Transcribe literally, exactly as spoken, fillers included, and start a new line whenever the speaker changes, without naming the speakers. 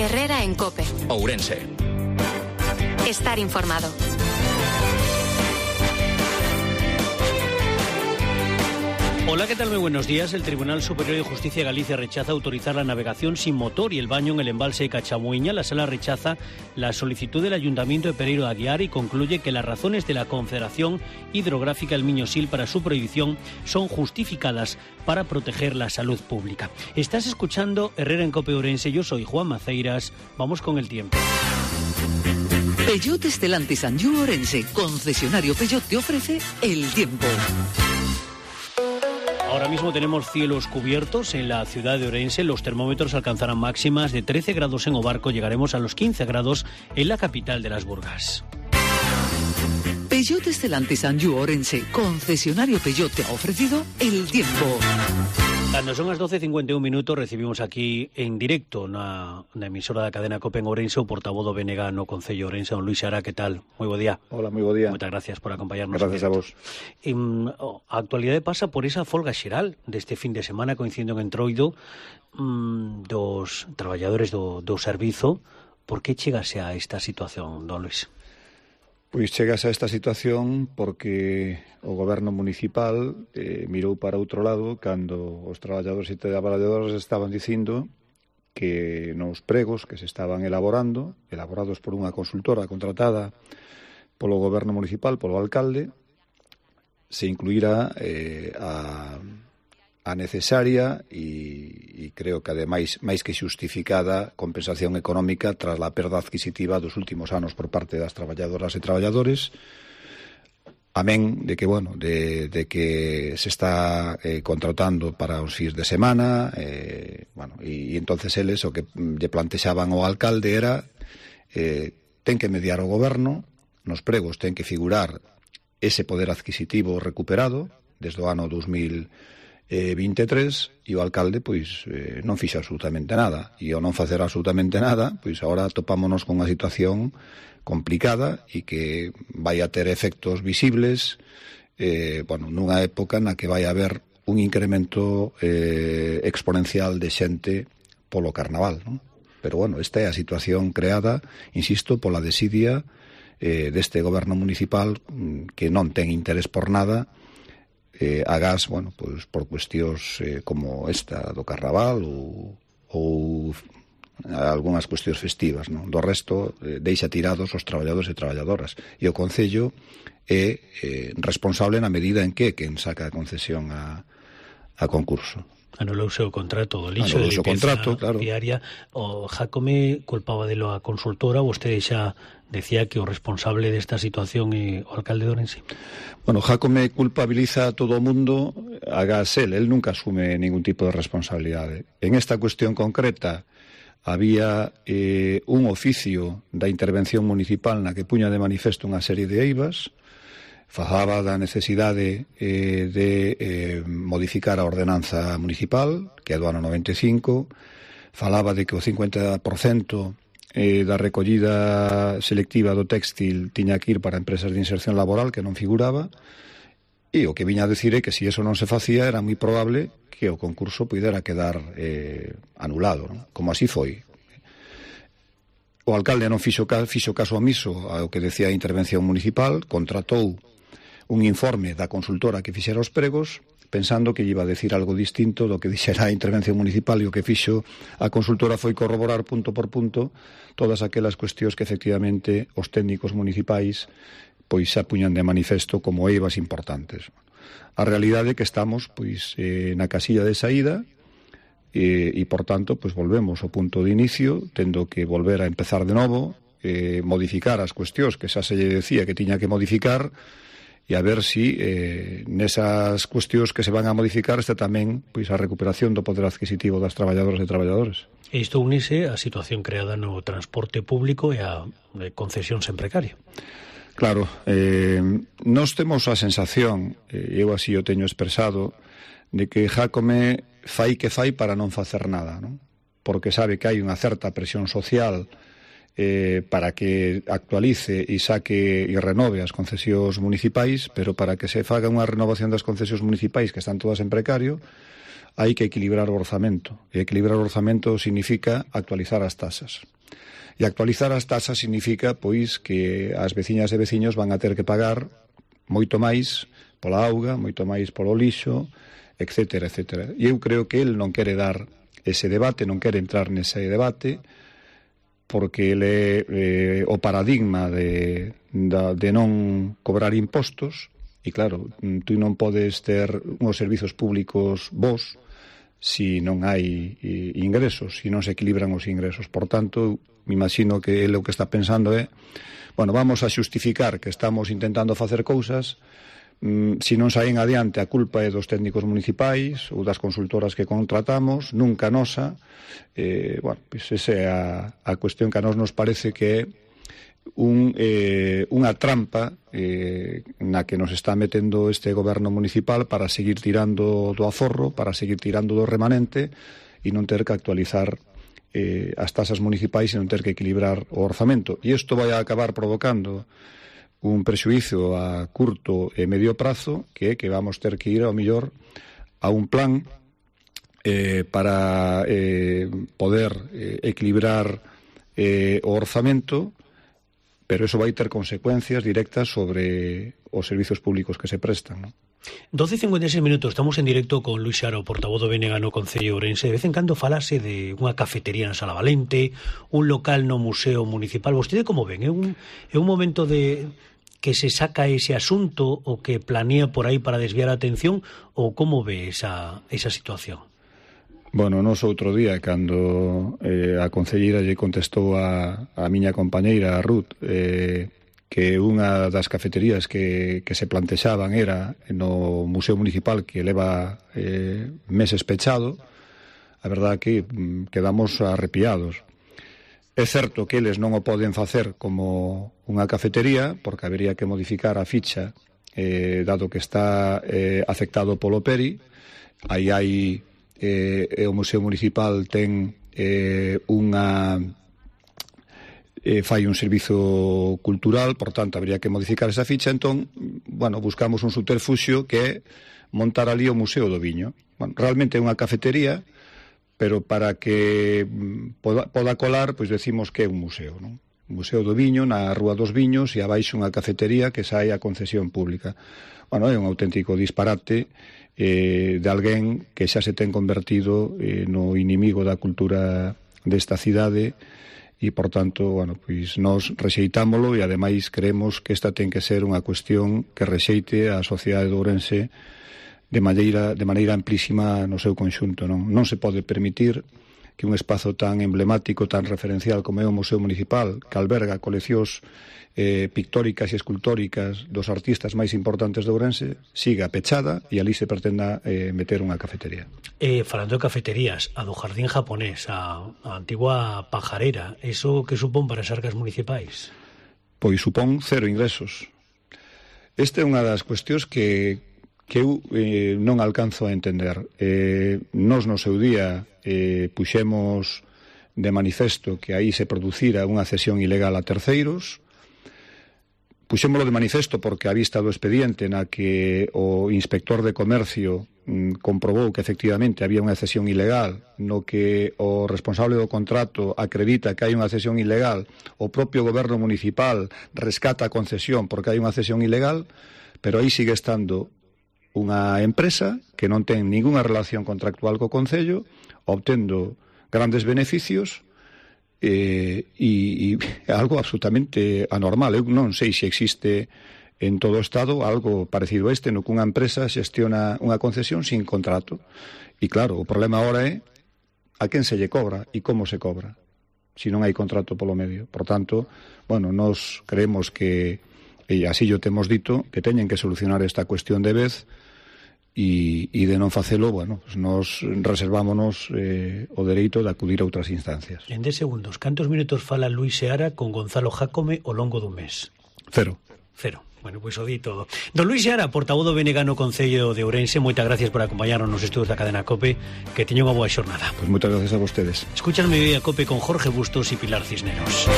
Herrera en COPE.
Ourense.
Estar informado.
Hola, ¿qué tal? Muy buenos días. El Tribunal Superior de Justicia de Galicia rechaza autorizar la navegación sin motor y el baño en el embalse de Cachamuiña. La Sala rechaza la solicitud del Ayuntamiento de Pereiro de Aguiar y concluye que las razones de la Confederación Hidrográfica del Miño-Sil para su prohibición son justificadas para proteger la salud pública. Estás escuchando Herrera en COPE Ourense. Yo soy Juan Maceiras. Vamos con el tiempo.
Peugeot Stellantis Anjou Ourense, concesionario Peugeot, te ofrece el tiempo.
Ahora mismo tenemos cielos cubiertos en la ciudad de Ourense. Los termómetros alcanzarán máximas de trece grados en Obarco. Llegaremos a los quince grados en la capital de las Burgas.
Peugeot Stellantis Anjou Ourense, concesionario Peugeot, te ha ofrecido el tiempo.
Cuando son las doce cincuenta y un minutos, recibimos aquí en directo una, una emisora de la cadena COPE en Ourense, o portavoz do B N G no Concello Ourense, don Luis Xara. ¿Qué tal? Muy buen día.
Hola, muy buen día.
Muchas gracias por acompañarnos.
Gracias a vos.
En, a actualidade pasa por esa folga xeral deste fin de semana, coincidindo en Entroido, mmm, dos traballadores do, do servizo. Por que chegase a esta situación, don Luis?
Pois chegase a esta situación porque o goberno municipal eh, mirou para outro lado cando os traballadores e traballadoras estaban dicindo que nos pregos que se estaban elaborando, elaborados por unha consultora contratada polo goberno municipal, polo alcalde, se incluíra eh, a, a necesaria e, e creo que ademais máis que xustificada compensación económica tras a perda adquisitiva dos últimos anos por parte das traballadoras e traballadores, amén de que, bueno, de, de que se está eh, contratando para os fins de semana, eh, bueno, e, e entonces eles o que lle plantexaban ao alcalde era eh, ten que mediar o goberno, nos pregos ten que figurar ese poder adquisitivo recuperado desde o ano dos mil veintitrés, e o alcalde pois eh, non fixo absolutamente nada, e ao non facer absolutamente nada, pois agora topámonos con unha situación complicada e que vai a ter efectos visibles eh, bueno, nunha época na que vai haber un incremento eh, exponencial de xente polo carnaval, non? Pero bueno, esta é a situación creada, insisto, pola desidia eh, deste goberno municipal que non ten interés por nada eh, agás, bueno, pois por cuestións eh, como esta do carnaval ou, ou algunhas cuestións festivas, non? Do resto, eh, deixa tirados os traballadores e traballadoras. E o Concello é eh, responsable na medida en que quen saca a concesión a, a concurso.
Anulouse o contrato do lixo
de
limpeza
contrato, claro.
Diaria. O Jácome culpaba delo a consultora. Vostede xa decía que o responsable desta situación é o alcalde de Ourense.
Bueno, Jácome culpabiliza a todo o mundo, agás el, el nunca asume ningún tipo de responsabilidade. En esta cuestión concreta había eh, un oficio da intervención municipal na que puña de manifesto unha serie de eivas, falaba da necesidade eh, de eh, modificar a ordenanza municipal, que é do ano noventa e cinco, falaba de que o cincuenta por cento eh, da recollida selectiva do téxtil tiña que ir para empresas de inserción laboral, que non figuraba, e o que viña a decir é que se eso non se facía era moi probable que o concurso pudera quedar eh, anulado, non? Como así foi. O alcalde non fixo, fixo caso omiso ao que decía a intervención municipal, contratou un informe da consultora que fixera os pregos, pensando que iba a decir algo distinto do que dixera a intervención municipal, e o que fixo a consultora foi corroborar punto por punto todas aquelas cuestións que efectivamente os técnicos municipais pois xa puñan de manifesto como eivas importantes. A realidade é que estamos pois eh, na casilla de saída e, e por tanto pois volvemos ao punto de inicio, tendo que volver a empezar de novo, eh, modificar as cuestións que xa se lle decía que tiña que modificar, e a ver si eh, nesas cuestións que se van a modificar está tamén pois a recuperación do poder adquisitivo das traballadoras e traballadores.
E isto unise a situación creada no transporte público e a concesións en precario.
Claro, eh, nós temos a sensación, eh, eu así o teño expresado, de que Jácome fai que fai para non facer nada, non? Porque sabe que hai unha certa presión social eh, para que actualice e saque e renove as concesións municipais, pero para que se faga unha renovación das concesións municipais que están todas en precario, hai que equilibrar o orzamento. E equilibrar o orzamento significa actualizar as tasas. E actualizar as tasas significa, pois, que as veciñas e veciños van a ter que pagar moito máis pola auga, moito máis polo lixo, etcétera, etcétera. E eu creo que el non quere dar ese debate, non quere entrar nese debate, porque ele eh, o paradigma de, de, de non cobrar impostos, e claro, tú non podes ter uns servizos públicos bons si non hai eh, ingresos, si non se equilibran os ingresos. Por tanto, me imagino que ele o que está pensando é, bueno, vamos a xustificar que estamos intentando facer cousas, mm, si non saen adiante a culpa é dos técnicos municipais ou das consultoras que contratamos, nunca nosa. Eh, bueno, pois esa é a, a cuestión que a nos nos parece que é un, eh, unha trampa eh, na que nos está metendo este goberno municipal para seguir tirando do aforro, para seguir tirando do remanente e non ter que actualizar eh, as tasas municipais e non ter que equilibrar o orzamento. E isto vai a acabar provocando un prexuízo a curto e medio prazo, que é que vamos ter que ir ao mellor a un plan eh, para eh, poder eh, equilibrar eh, o orzamento, pero eso vai ter consecuencias directas sobre os servizos públicos que se prestan, non?
doce e cincuenta e seis minutos, estamos en directo con Luís Seara, o portavoz do B N G no Concello de Ourense. De vez en cando falase de unha cafetería na Sala Valente, un local no Museo Municipal. Vostede como ven? É un, é un momento de que se saca ese asunto o que planea por aí para desviar a atención, ou como ve esa, esa situación?
Bueno, nos outro día, cando eh, a concelleira lle contestou a, a miña compañeira, a Ruth, eh, que unha das cafeterías que, que se plantexaban era no Museo Municipal, que leva eh, meses pechado, a verdade que mm, quedamos arrepiados. É certo que eles non o poden facer como unha cafetería, porque habería que modificar a ficha, eh, dado que está eh, afectado polo P E R I. Aí hai, eh, o Museo Municipal ten eh, unha... Eh, fai un servizo cultural, por tanto, habría que modificar esa ficha. Entón, bueno, buscamos un subterfuxio que é montar ali o Museo do Viño. Bueno, realmente é unha cafetería, pero para que poda, poda colar, pois decimos que é un museo, non? Un Museo do Viño na Rúa dos Viños e abaixo unha cafetería que sae a concesión pública. Bueno, é un auténtico disparate eh, de alguén que xa se ten convertido eh, no inimigo da cultura desta cidade. E, por tanto, bueno, pois nós rexeitámolo e, ademais, creemos que esta ten que ser unha cuestión que rexeite a sociedade de Ourense de maneira, de maneira amplísima no seu conxunto, non? Non se pode permitir que un espazo tan emblemático, tan referencial como é o Museo Municipal, que alberga coleccións eh, pictóricas e escultóricas dos artistas máis importantes de Ourense, siga pechada e ali se pretenda eh, meter unha cafetería.
Eh, falando de cafeterías, a do Jardín Japonés, a, a antigua pajarera, eso que supón para as arcas municipais?
Pois supón cero ingresos. Esta é unha das cuestións que, que eu eh, non alcanzo a entender. Eh, nos no seu día eh, puxemos de manifesto que aí se producira unha cesión ilegal a terceiros. Puxémolo de manifesto porque a vista do expediente na que o inspector de comercio mm, comprobou que efectivamente había unha cesión ilegal, no que o responsable do contrato acredita que hai unha cesión ilegal, o propio goberno municipal rescata a concesión porque hai unha cesión ilegal, pero aí sigue estando unha empresa que non ten ningunha relación contractual co Concello, obtendo grandes beneficios. Eh, e, e algo absolutamente anormal. Eu non sei se existe en todo o Estado algo parecido a este, no que unha empresa xestiona unha concesión sin contrato. E claro, o problema agora é a quen se lle cobra e como se cobra, se non hai contrato polo medio. Por tanto, bueno, nos creemos que, e así yo temos dito, que teñen que solucionar esta cuestión de vez. E, e de non facelo, bueno, pues nos reservámonos eh, o dereito de acudir a outras instancias.
En dez segundos, cantos minutos fala Luís Seara con Gonzalo Jácome ao longo dun mes?
Cero.
Cero. Bueno, pois pues o di todo. Don Luís Seara, portavoz do B N G no Concello de Ourense, moitas gracias por acompañarnos nos estudos da cadena COPE, que teña unha boa xornada.
Pois pues moitas gracias a vostedes.
Escuchan Mediodía COPE con Jorge Bustos e Pilar Cisneros.